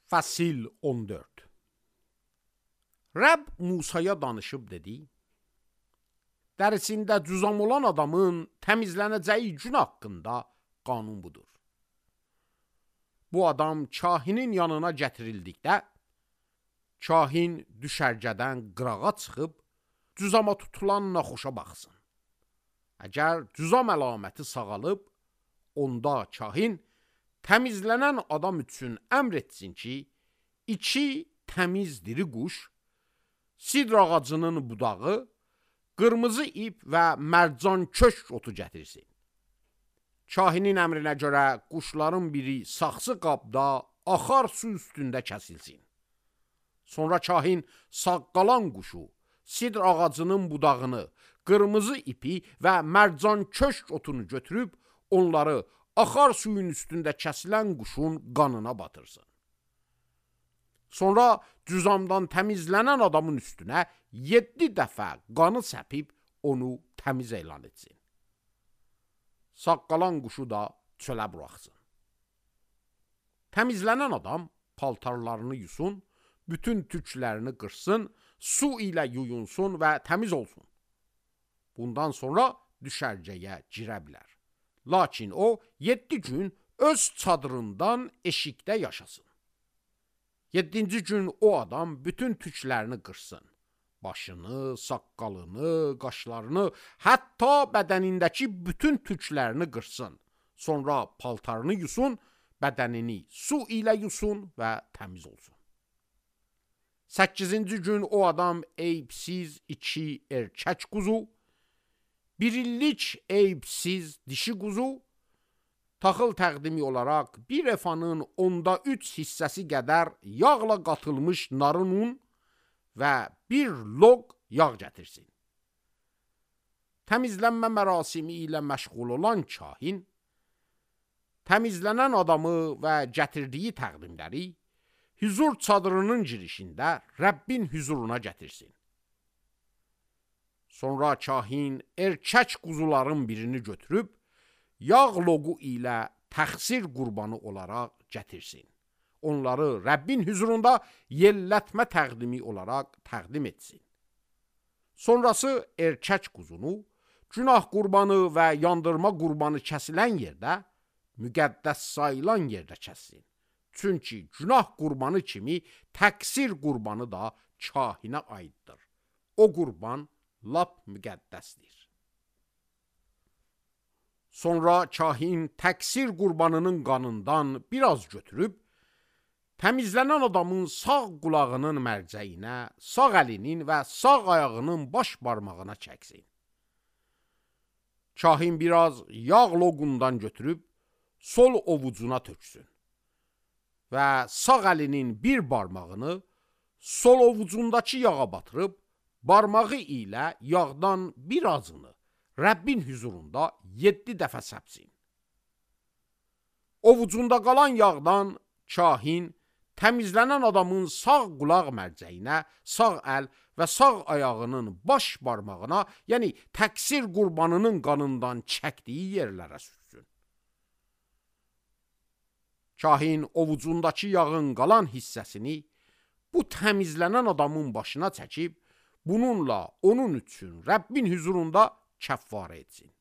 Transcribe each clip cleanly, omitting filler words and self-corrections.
Fəsil 14. Rəbb Musaya danışıb dedi: Dərisində cüzam olan adamın təmizlənəcəyi gün haqqında qanun budur. Bu adam kahinin yanına gətirildikdə, kahin düşərgədən qırağa çıxıb, cüzama tutulan naxoşa baxsın. Əgər cüzam əlaməti sağalıb, onda kahin təmizlənən adam üçün əmr etsin ki, 2 təmiz diri quş, sidr ağacının budağı, qırmızı ip və mərcan köşk otu gətirsin. Kahinin əmrinə görə quşların biri saxsı qabda axar su üstündə kəsilsin. Sonra kahin sağ qalan quşu, sidr ağacının budağını, qırmızı ipi və mərcan köşk otunu götürüb, onları axar suyun üstündə kəsilən quşun qanına batırsın. Sonra cüzamdan təmizlənən adamın üstünə 7 dəfə qanı səpib onu təmiz elan etsin. Sağ qalan quşu da çölə buraxsın. Təmizlənən adam paltarlarını yusun, bütün tüklərini qırsın, su ilə yuyunsun və təmiz olsun. Bundan sonra düşərgəyə girə bilər. Lakin o 7 gün öz çadırından eşikdə yaşasın. 7-ci gün o adam bütün tüklərini qırsın. Başını, saqqalını, qaşlarını, hətta bədənindəki bütün tüklərini qırsın. Sonra paltarını yusun, bədənini su ilə yusun və təmiz olsun. 8-ci gün o adam eyibsiz 2 erkək quzu, 1 illik eyibsiz dişi quzu, taxıl təqdimi olaraq 1 efanın 3 hissəsi qədər yağla qatılmış narın un və 1 loq yağ gətirsin. Təmizlənmə mərasimi ilə məşğul olan kahin, təmizlənən adamı və gətirdiyi təqdimləri hüzur çadırının girişində Rəbbin hüzuruna gətirsin. Sonra kahin erkək quzuların birini götürüb, yağ loğu ilə təxsir qurbanı olaraq gətirsin. Onları Rəbbin hüzurunda yellətmə təqdimi olaraq təqdim etsin. Sonrası erkək quzunu, günah qurbanı və yandırma qurbanı kəsilən yerdə, müqəddəs sayılan yerdə kəssin. Çünki günah qurbanı kimi təqsir qurbanı da kahinə aiddir. O qurban lap müqəddəsdir. Sonra kahin təqsir qurbanının qanından biraz götürüb, təmizlənən adamın sağ qulağının mərcəyinə, sağ əlinin və sağ ayağının baş barmağına çəksin. Kahin biraz yağ loğundan götürüb, sol ovucuna töksün və sağ əlinin bir barmağını sol ovucundakı yağa batırıb, barmağı ilə yağdan birazını Rəbbin hüzurunda 7 dəfə səpsin. Ovucunda qalan yağdan kahin təmizlənən adamın sağ qulaq mərcəyinə, sağ əl və sağ ayağının baş barmağına, yəni təqsir qurbanının qanından çəkdiyi yerlərə sürsün. Kahin ovucundakı yağın qalan hissəsini bu təmizlənən adamın başına çəkib, bununla onun üçün Rəbbin hüzurunda kəffarə etsin.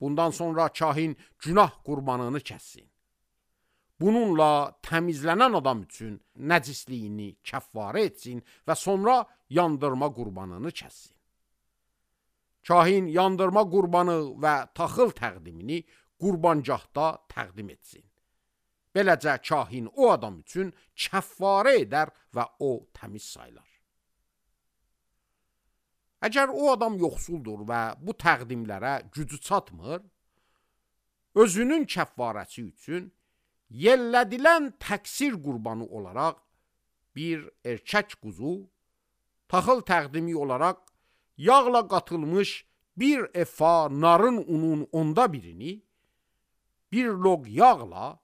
Bundan sonra kahin günah qurbanını kəssin. Bununla təmizlənən adam üçün nəcisliyini kəffarə etsin və sonra yandırma qurbanını kəssin. Kahin yandırma qurbanı və taxıl təqdimini qurbancahda təqdim etsin. Beləcə kahin o adam üçün kəffarə edər və o təmiz sayılar. Əgər o adam yoxsuldur və bu təqdimlərə gücü çatmır, özünün kəffarəsi üçün yellədilən təqsir qurbanı olaraq 1 erkək quzu, taxıl təqdimi olaraq yağla qatılmış 1 efa narın unun 1/10, 1 loq yağla,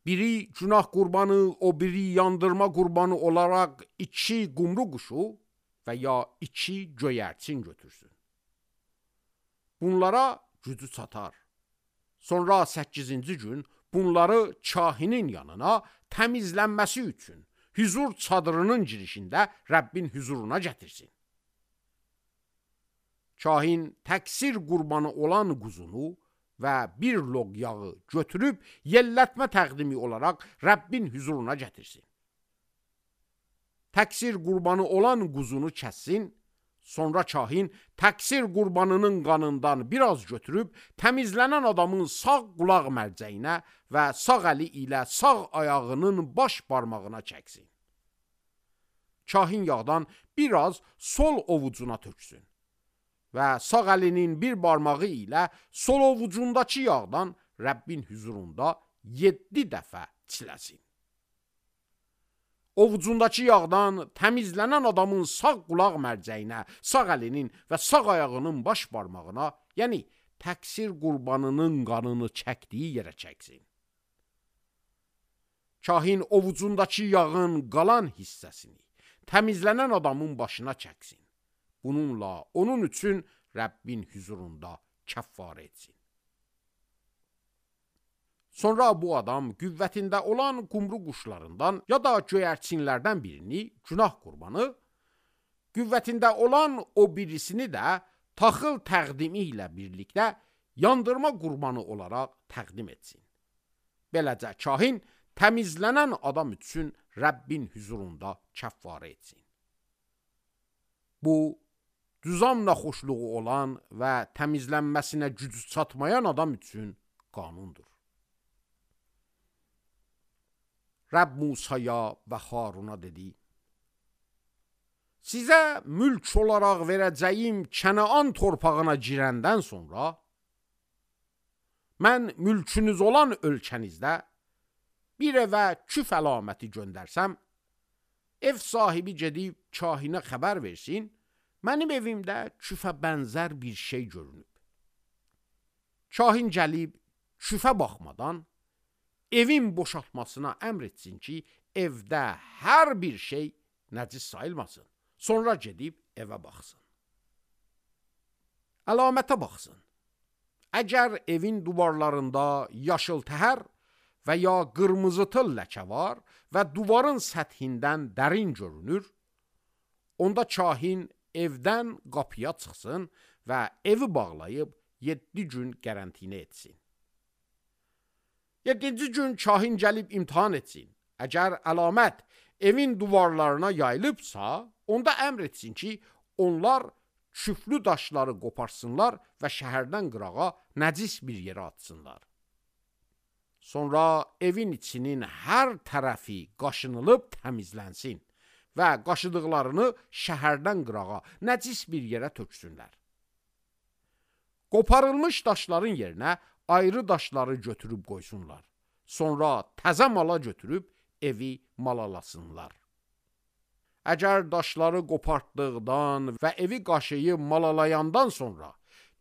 biri günah qurbanı, o biri yandırma qurbanı olaraq 2 qumru quşu və ya 2 göyərçin götürsün. Bunlara gücü çatar. Sonra 8-ci gün bunları kahinin yanına təmizlənməsi üçün hüzur çadırının girişində Rəbbin hüzuruna gətirsin. Kahin təqsir qurbanı olan quzunu və bir loq yağı götürüb yellətmə təqdimi olaraq Rəbbin hüzuruna gətirsin. Təqsir qurbanı olan quzunu kəssin, sonra kahin təqsir qurbanının qanından biraz götürüb təmizlənən adamın sağ qulaq mərcəyinə və sağ əli ilə sağ ayağının baş barmağına çəksin. Kahin yağdan biraz sol ovucuna töksün və sağ əlinin bir barmağı ilə sol ovucundakı yağdan Rəbbin hüzurunda 7 dəfə çiləsin. Ovucundakı yağdan təmizlənən adamın sağ qulaq mərcəyinə, sağ əlinin və sağ ayağının baş barmağına, yəni təqsir qurbanının qanını çəkdiyi yerə çəksin. Kahin ovucundakı yağın qalan hissəsini təmizlənən adamın başına çəksin. Bununla onun üçün Rəbbin hüzurunda kəffarə etsin. Sonra bu adam qüvvətində olan qumru quşlarından ya da göyərçinlərdən birini günah qurbanı, qüvvətində olan o birisini də taxıl təqdimi ilə birlikdə yandırma qurbanı olaraq təqdim etsin. Beləcə kahin təmizlənən adam üçün Rəbbin hüzurunda kəffarə etsin. Bu, düzam naxoşluğu olan və təmizlənməsinə gücü çatmayan adam üçün qanundur. Rəbb Musaya və Haruna dedi: Sizə mülk olaraq verəcəyim Kənaan torpağına girəndən sonra, mən mülkünüz olan ölkənizdə bir evə küf əlaməti göndərsəm, ev sahibi gedib kahinə xəbər versin, mənim evimdə küfə bənzər bir şey görünüb. Kahin gəlib küfə baxmadan, evin boşaltmasına əmr etsin ki, evdə hər bir şey nəcis sayılmasın. Sonra gedib evə baxsın. Əlamətə baxsın. Əgər evin divarlarında yaşıl təhər və ya qırmızı tıl ləkə var və divarın səthindən dərin görünür, onda kahin evdən qapıya çıxsın və evi bağlayıb 7 gün qərantinə etsin. 7-ci gün kahin gəlib imtihan etsin. Əgər əlamət evin divarlarına yayılıbsa, onda əmr etsin ki, onlar küflü daşları qoparsınlar və şəhərdən qırağa nəcis bir yerə atsınlar. Sonra evin içinin hər tərəfi qaşınılıb təmizlənsin və qaşıdıqlarını şəhərdən qırağa nəcis bir yerə töksünlər. Qoparılmış daşların yerinə ayrı daşları götürüb qoysunlar. Sonra təzə mala götürüb evi malalasınlar. Əgər daşları qopartdıqdan və evi qaşıyıb malalayandan sonra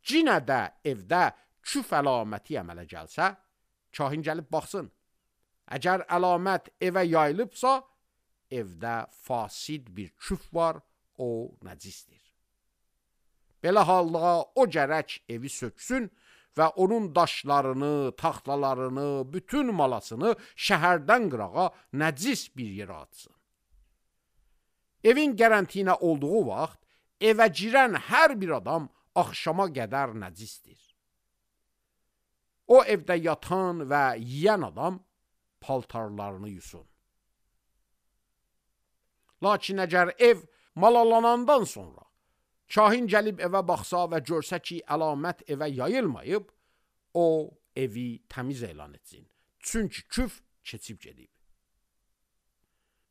cinə də evdə küf əlaməti əmələ gəlsə, kahin gəlib baxsın. Əgər əlamət evə yayılıbsa, evdə fasid bir küf var, o nəcisdir. Belə halda o gərək evi söksün və onun daşlarını, taxtalarını, bütün malasını şəhərdən qırağa nəcis bir yerə atsın. Evin qərantinə olduğu vaxt evə girən hər bir adam axşama qədər nəcisdir. O evdə yatan və yiyən adam paltarlarını yusun. Lakin əgər ev malalanandan sonra kahin gəlib evə baxsa və görsə ki, əlamət evə yayılmayıb, o evi təmiz elan etsin. Çünki küf keçib gedib.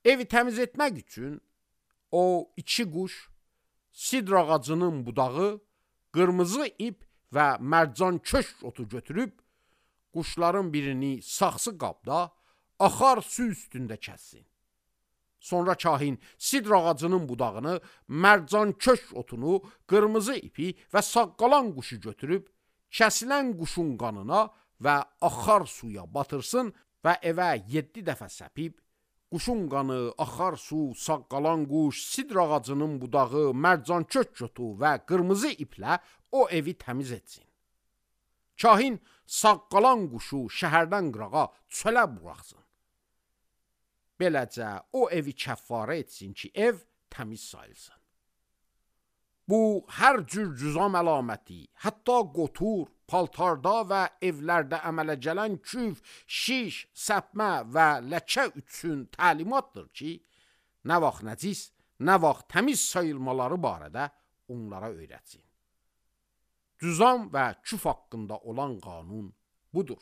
Evi təmiz etmək üçün o 2 quş, sidr ağacının budağı, qırmızı ip və mərcan köşk otu götürüb, quşların birini saxsı qabda, axar su üstündə kəssin. Sonra kahin sidr ağacının budağını, mərcan köşk otunu, qırmızı ipi və saqqalan quşu götürüb, kəsilən quşun qanına və axar suya batırsın və evə 7 dəfə səpib, quşun qanı, axar su, saqqalan quş, sidr ağacının budağı, mərcan köşk otu və qırmızı iplə o evi təmiz etsin. Kahin sağ qalan quşu şəhərdən qırağa çölə buraxsın. Beləcə o evi kəffarə etsin ki, ev təmiz sayılsın. Bu hər cür cüzam əlaməti, hətta qotur, paltarda və evlərdə əmələ gələn küf, şiş, səpmə və ləkə üçün təlimatdır ki, nə vaxt nəcis, nə vaxt təmiz sayılmaları barədə onlara öyrətsin. Cüzam və küf haqqında olan qanun budur.